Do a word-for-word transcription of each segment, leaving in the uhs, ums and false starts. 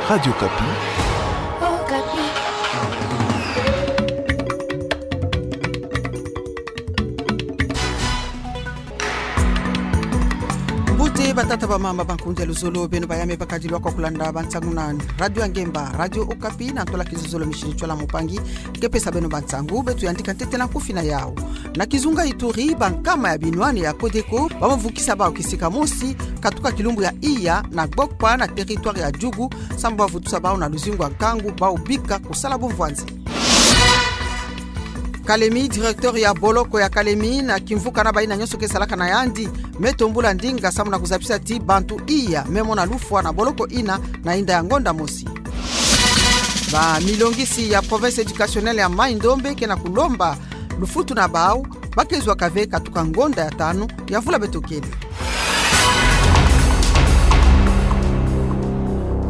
Radio Okapi. Okapi. Mbuti batata, bamama, bankundi ya luzolo, beno bayame bakadilu kwa kulanda bansangu na Radio Ngemba, Radio Okapi, na ntola kizozolo Micheline Tshoala Moupangi ke pesa beno bansangu. Beto yandika ntete na kufina yau. Na kizunga Ituri, bankama ya binwani ya Codeco bamo vukisa bau kisika mosi katuka kilumbu ya Iya na Gbokpa na territoire ya Djugu, samu bwa vutusa bau na luzingu ya nkangu, bau bika kusala bumvwanzi. Kalemi, directeur ya boloko ya Kalemi na kimvuka na baina nyonso ke salaka na yandi, me tombula ndinga samu na kuzabisa ti bantu Iya me mona lufwa na boloko ina na inda ya ngonda mosi. Bamilongisi ya province éducationnelle ya Mai-Ndombe ke na kulomba lufutu na bau, ba ke zwa kave katuka ngonda ya tanu ya mvula beto kele.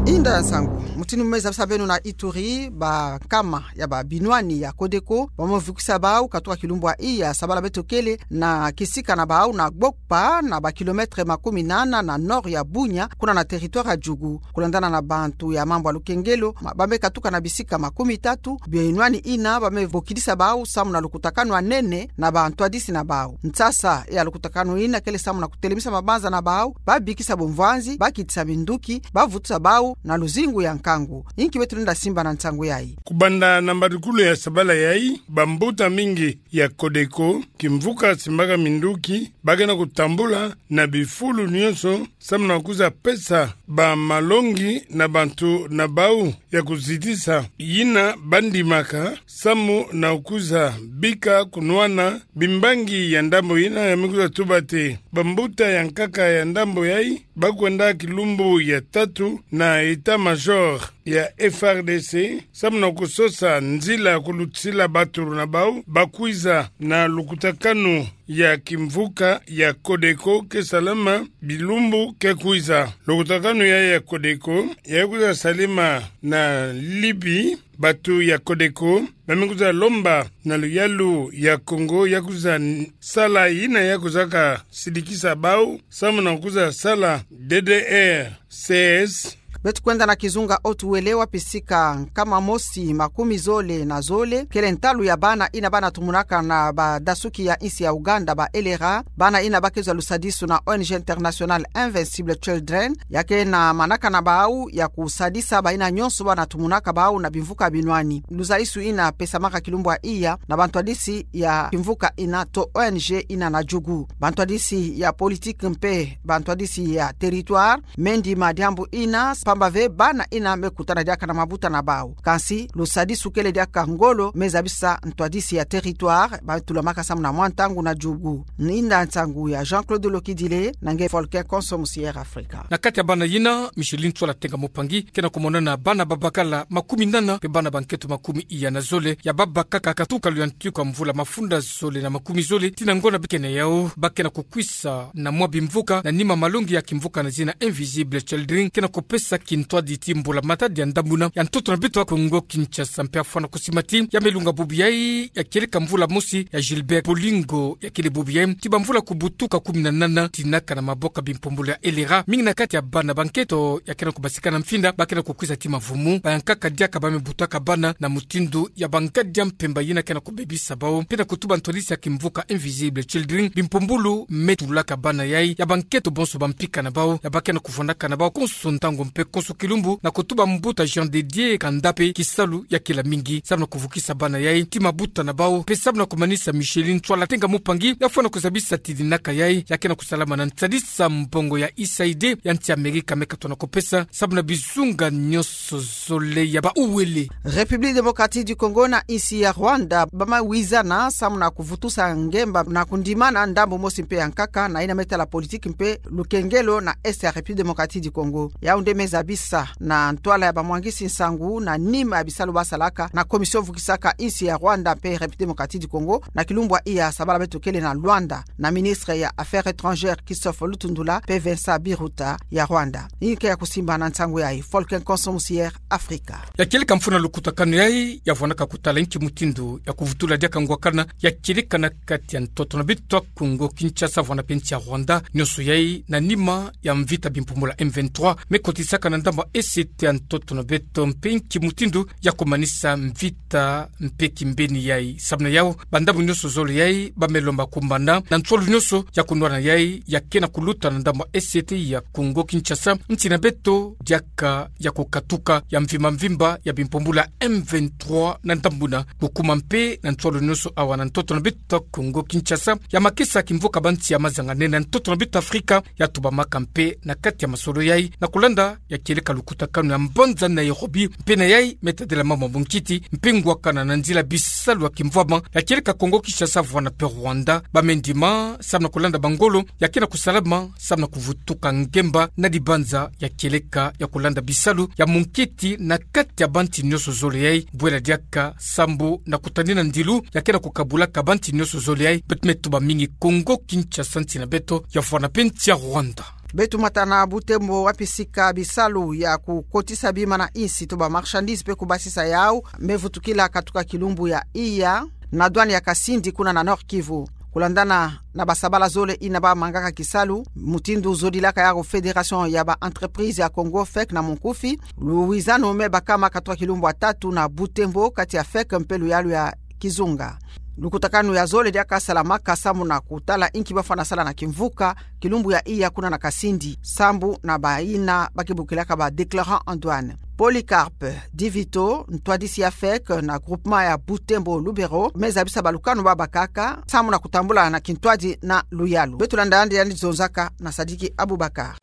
Inda nsangu, mutindu me zabisa beno na Ituri, bankama ya babinwani ya Codeco bamo vukisa bau katuka kilumbu ya Iya sabala beto kele na kisika na bau na Gbokpa, na ba kilomètre makumi nana na nord ya Bunia, kuna na territoire ya Djugu. Kulandana na bantu ya mambu ya lukengelo, ma-, ba me katuka na bisika makumi tatu, binwani ina ba me bokidisa bau samu na lukutakanu ya nene na bantwadisi na bau. Nsasa ya lukutakanu ina kele samu na kutelemisa mabanza na bau, ba bikisa bumvwanzi, ba kitisa minduki, ba vutusa bau na luzingu ya nkangu. Inki beto lenda simba na nsangu yayi? Kubanda na mbadukulu ya sabala yayi, bambuta mingi ya Codeco, kimvuka simbaka minduki, ba ke na kutambula na bifulu nyonso samu na kwiza pesa bamalongi na bantu na bau ya kuzitisa, yina ba ndimaka samu na kwiza bika kunwana bimbangi ya ndambo yina. Ya me kwiza tuba ti bambuta ya nkaka ya ndambo yayi ba kwenda kilumbu ya tatu na état-major ya F R D C samu na kusosa nzila ya kulutisila batulu na bau ba kwiza na lukutakanu ya kimvuka ya Codeco ke salama bilumbu ke kwiza. Lukutakanu yayi ya Codeco ya kwiza salama na Libye. Bantu ya Codeco ba me kwiza lomba na luyalu ya Congo ya kwiza n-, sala yina ya kwizaka sidikisa bau samu na kwiza sala D D R C S. Beto kwenda na kizunga Haut-Uélé, wapi sika nkama mosi makumi zole na zole kele ntalu ya bana ina ba na tumunaka na badasuki ya insi ya Ouganda, ba L R A. Bana ina ba ke zwa lusadisu na O N G internationale Invincible Children, ya ke na manaka na bau ya kusadisa baina nyonso ba na tumunaka bau na bimvuka binwani. Lusadisu ina pesamaka kilumbu ya Iya na bantwadisi ya kimvuka ina to O N G ina na Djugu. Bantwadisi ya politique mpe bantwadisi ya territoire me ndima diambu ina, pamba ve bana ina me kutana diaka na mabuta na bau. Kansi, lusadisu kele diaka ngolo me zabisa ntwadisi ya territoire ba tulamaka samu na mwa ntangu na Djugu. Inda nsangu ya Jean-Claude Lokidile, na nge Volcan Konso, Musière Afrika. Na kati ya bana yina, Micheline Tshoala Tenga Moupangi ke na kumonana bana babakala makumi nana mpe bana bankento makumi iya na zole ya babakaka katuka luyantiku ya mvula mafunda zole na makumi zole tii na ngonda bikene yau. Ba ke na kukwisa na mwa bimvuka na nima malongi ya kimvuka na zina Invisible Children ke na kupesa kintwadi ti mbula matadi ya ndamuna ya ntoto na beto ya Kongo Kinshasa. Mpe afwana kusima ti ya me lunga bubu yayi ya kieleka mvula mosi ya Gilbert Bolingo ya kele bubu yayi ti bamvula kubutuka kumi na nana, tinaka na maboko ya bimpumbulu ya L R A. Mingi na kati ya bana bankento ya ke na kubasika na mfinda ba ke na kukwisa ti mavumu, bayankaka diaka ba me butaka bana na mutindu ya bangadi ya mpemba yina ke na kubebisa bau. Mpe na kutuba ntwadisi ya kimvuka Invisible Children, bimpumbulu me tulaka bana yayi ya bankento bonso ba mpika na bau, ya ba ke na kuvwandaka na bau konso ntangu mpe konso kilumbu, na kutuba mbuta Jean de Dieu Kanda mpe kisalu ya kila mingi samu na kuvukisa bana yayi ti mabuta na bau. Mpe samu na kumanisa, Micheline Tshoala Tenga Moupangi ya fwana kuzabisa ti dinaka yayi ya ke na kusalama na ntadisa mbongo ya U S A I D ya nsi Amerika me katona kupesa samu na bizunga nyonso zole ya ba Haut-Uélé. République Démocratique du Congo na insi ya Rwanda ba ma wizana samu na kuvutusa ngemba na kundimana ndambu mosi mpe ya nkaka na yina me tala politique mpe lukengelo na Est ya République Démocratique du Congo. Yau nde me zabisa na ntwala ya bamwangisi nsangu na nima ya bisalu ba salaka na commission vukisaka insi ya Rwanda mpe République Démocratique du Congo na kilumbu ya Iya sabala beto kele na Luanda, na ministre ya Affaires étrangères Christophe Lutundula mpe Vincent Biruta ya Rwanda. Inki ya kusimba na nsangu yayi? Volcan Konso, Musière Afrika. Ya kieleka mfunu ya lukutakanu yayi ya vwanaka kutala inki mutindu ya kuvutula diaka ngwakana ya kieleka na kati ya ntoto na beto ya Kongo Kinshasa, vwana mpe nsi ya Rwanda, nyonso yayi na nima ya mvita bimpumbulu ya M vingt-trois me kotisaka Ka na ndambu esete ya ntoto na beto mpe nki mutindu ya kumanisa mvita mpe kimbeni yayi. Samu na yawu, bandambu nyonso zole yayi bame lomba kumbana na nswalu nyonso ya kunwana yayi ya kena kuluta na ndambu esete ya Congo Kinshasa, nsi na beto diaka ya kukatuka ya mvimba mvimba ya bimpumbulu ya M vingt-trois na ndambu na kukuma mpe na nswalu nyonso awa na ntoto na beto Congo Kinshasa, ya makesa kimvuka bansi ya mazangane na ntoto na beto Afrika, ya tubamaka mpe na kati ya masolo yayi na kulanda ya kieleka lukutakanu ya mbanza Nairobi, mpe na yayi me tadila mambu ya bunkiti mpe ngwakana na nzila bisalu ya kimvwama ya kieleka Congo Kinshasa vwanda mpe Rwanda. Bame ndima samu na kulanda bangolo ya kena kusalama samu na kuvutuka ngemba na dibanza ya kieleka ya kulanda bisalu ya munkiti na kati ya bansi nyonso zole yayi, bwela diaka sambu na kutanina ndilu ya kena kukabulaka bansi nyonso zole yayi. Beto me tuba mingi Congo Kinshasa, nsi na beto ya vwanda mpe nsi ya Rwanda. Beto mata na Butembo wapi sika bisalu ya kukotisa bima na insi to ba marchandises mpe kubasisa yawu me vutukila katuka kilumbu ya iya na douane ya Kasindi kuna na Nord-Kivu. Kulandana na basabala zole yina bamangaka kisalu, mutindu zodilaka yawu Fédération ya ba entreprises ya Congo, fec na munkufi, luwizano me bakama katuka kilumbu ya tatu na Butembo kati ya fec mpe luyalu ya kizunga. Lukutakanu ya zole diaka salamaka samu na kutala inki bafwana sala na kimvuka kilumbu ya iya kuna na Kasindi, sambu na bayina bakebokilaka ba déclarants en douane. Polycarpe Divito, ntwadisi ya fec na groupement ya Butembo Lubero, me zabisa balukanu babakaka samu na kutambula na kintwadi na luyalu. Beto landa yandi, yandi zonzaka na Sadiki Abubakar.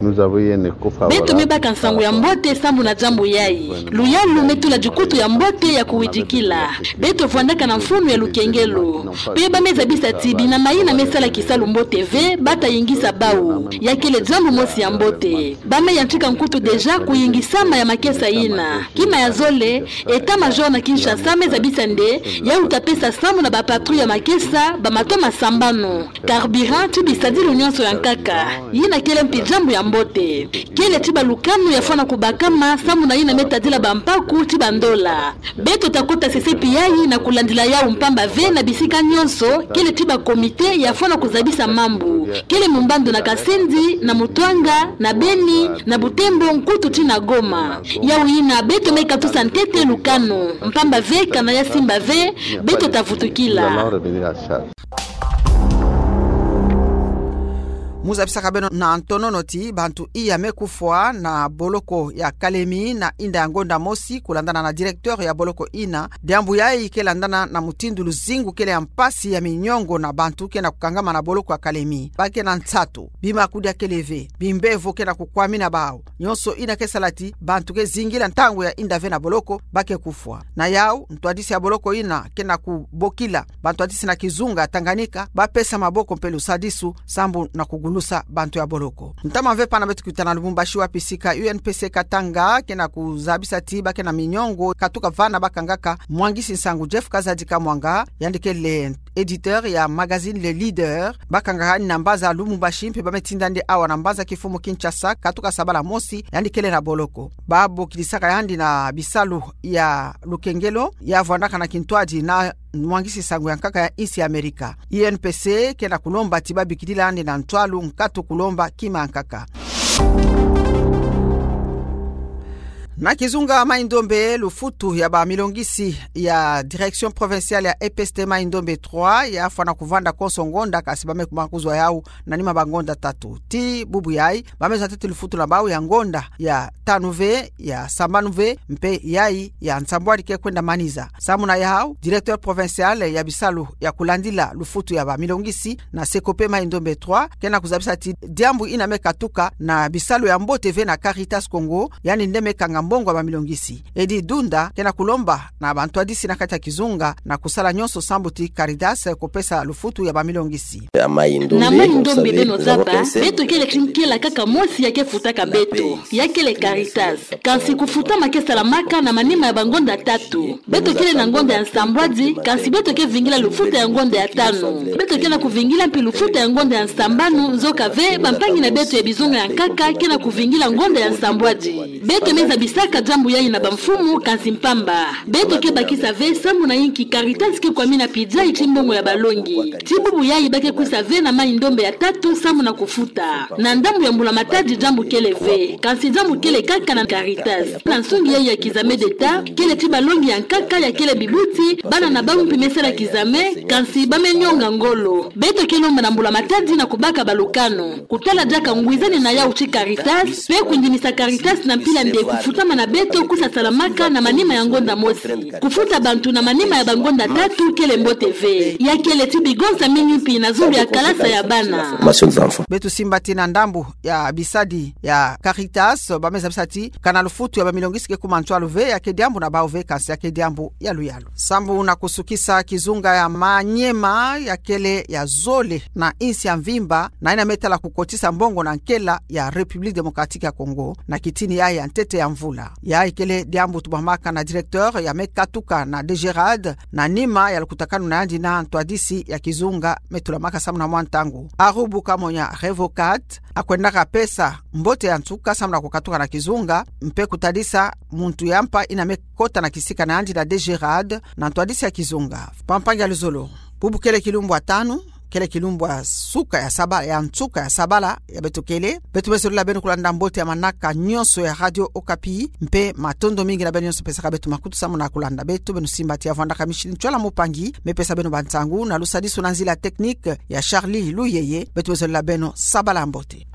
Beto me baka nsangu ya mbote sambu na diambu yayi. Luyalu me tula dikutu ya mbote ya kuwidikila. Beto vwandaka na mfunu ya lukengelo. Mpe bame zabisa ti bina mayina me sala kisalu mbote ve bata yingisa bawu. Ya kele diambu mosi ya mbote. Bame yantika nkutu déjà kuyingisama ya makesa yina. Kima ya zole, état-major na Kinshasa me zabisa nde yawu ta pesa sambu na ba patrouilles ya makesa ba matomo sambanu, carburant ti bisadilu nyonso ya nkaka. Yina kele mpi diambu ya mbote. Kele ti balukanu ya fwana kubakama sambu na yina me tadila bampaku ti bandola. Beto ta kota sesepi yayi na kulandila yawu mpamba ve na bisika nyonso kele ti ba comités ya fwana kuzabisa mambu. Kele mumbandu na Kasindi, na Mutuanga, na Beni, na Butembo, nkutu ti na Goma. Yawu yina beto me katusa ntete lukanu. Mpamba ve kana ya simba ve, beto ta vutukila. Mu zabisaka beno na ntonono ti bantu iya me kufwa na boloko ya Kalemi na inda ya ngonda mosi, kulandana na directeur ya boloko yina. Diambu yayi ke landana na mutindu luzingu kele ya mpasi ya miniongo na bantu ke na kukangama na boloko ya Kalemi. Ba ke na nsatu, bima kudia kele ve, bimbevo ke na kukwamina bawu. Nyonso yina ke sala ti bantu ke zingila ntangu ya inda ve na boloko, ba ke kufwa. Na yawu, ntwadisi ya boloko yina ke na kubokila bantwadisi na kizunga Tanganyika ba pesa maboko mpe lusadisu sambu na kugulusa bantu ya boloko. Ntama ve pana beto kuta na Lubumbashi wapi sika U N P C Katanga ke na kuzabisa ti ba ke na miniongo katuka vana bakangaka mwangisi nsangu Jeff Kazadi Kamwanga, yandi kele éditeur ya magazine Le Leader, bakangaka yandi na mbanza Lubumbashi mpe ba me tinda yandi awa na mbanza kifumu Kinshasa katuka sabala mosi, yandi kele na boloko. Ba bokilisaka yandi na bisalu ya lukengelo ya vwandaka na kintwadi na mwangisi nsangu ya nkaka ya insi ya Amerika. U N P C ke na kulomba ti ba bikidila yandi na ntwalu nkatu kulomba kima ya nkaka. Na kizunga Mai-Ndombe, lufutu ya ba milongisi ya Direction Provinciale ya E P S T Mai-Ndombe trois ya fwana kuvanda konso ngonda, kasi ba me kuma kuzwa yawu na nima ba ngonda tatu. Ti bubu yayi, ba me zwa ntete lufutu na bawu ya ngonda ya tanu ve, ya sambanu ve, mpe yayi ya nsambwadi ke kwenda manisa. Samu na yawu, directeur provincial ya bisalu ya kulandila lufutu ya ba milongisi na S E COPE Mai-Ndombe trois ke na kuzabisa ti diambu yina me katuka na bisalu ya mbote ve na Caritas Congo, yandi nde me kanga mbongo ya ba milongisi. Edi Dunda ke na kulomba na bantwadisi na kati ya kizunga na kusala nyonso sambu ti Caritas kupesa lufutu ya ba milongisi. Na Mai-Ndombe, beno zaba, beto kele ti nkela kaka mosi ya ke futaka beto, ya kele Caritas. Kansi kufutama ke salamaka na manima ya ba ngonda tatu. Beto kele na ngonda ya nsambwadi, kansi beto ke vingila lufutu ya ngonda ya tanu. Beto ke na kuvingila mpi lufutu ya ngonda ya nsambanu, nzoka ve bampangi na beto ya bizunga ya nkaka ke na kuvingila ngonda ya nsambwadi. Beto me zabisa Saka diambu yayi na bamfumu, kansi mpamba. Beto ke bakisa ve sambu na inki Caritas ke kwamina pidia ti mbongo ya balongi. Ti bubu yayi ba ke kwisa ve na mai ndombe ya tatu sambu na kufuta. Na ndambu ya Mbula Matadi diambu kele ve. Kansi diambu kele kaka na Caritas. Na nsungi yayi ya kizame d'Etat, kele ti balongi ya nkaka ya kele bibuti, bana na bawu mpe me sala kizame, kansi ba me nyonga ngolo. Beto ke lomba na Mbula Matadi na kubaka balukanu. Kutala diaka ngwizani na yawu ti Caritas, pe kundimisa Caritas na mpila mbi kufutama na beto kwisa salamaka na manima ya ngonda mosi. Kufuta bantu na manima ya bangonda tatu kele mbote ve. Ya kele ti bigonsa mingi mpi na zulu ya kalasa ya bana. Beto simba ti na ndambu ya bisadi ya Caritas, ba me zabisa ti kana lufutu ya bamilongi si ke kuma ntwalu ve, ya ke diambu na bawu ve, kansi ya ke diambu ya luyalu. Sambu na kusukisa kizunga ya Maniema, ya kele ya zole na insi ya mvimba, na ina me tala kukotisa mbongo na nkela ya République Démocratique ya Congo, na kitini yayi ya ntete ya mvula. Yayi kele diambu tubwamaka na directeur ya me katuka na DGRAD, na nima ya lukutakanu na yandi na ntwadisi ya kizunga me tulamaka sambu na mwa ntangu. Arubu Kamonya Revocat, akwendaka pesa mbote ya nsuka sambu na kukatuka na kizunga, mpe kutadisa muntu ya mpa ina me kota na kisika na yandi na DGRAD, na ntwadisi ya kizunga. Pampangi ya luzolo. Bubu kele kilumbu ya tanu, kele kilumbu ya suka ya saba, ya nsuka ya sabala, ya beto kele. Beto me zolila beno kulanda mbote ya manaka nyonso ya Radio Okapi, mpe matondo mingi na beno nyonso pesaka beto makutu sambu na kulanda beto, beno simba ti ya vwandaka Micheline Tchwala Mupangi, me pesa beno bansangu, na lusadisu na nzila technique ya Charlie Luyeye, beto me zolila beno sabala mbote.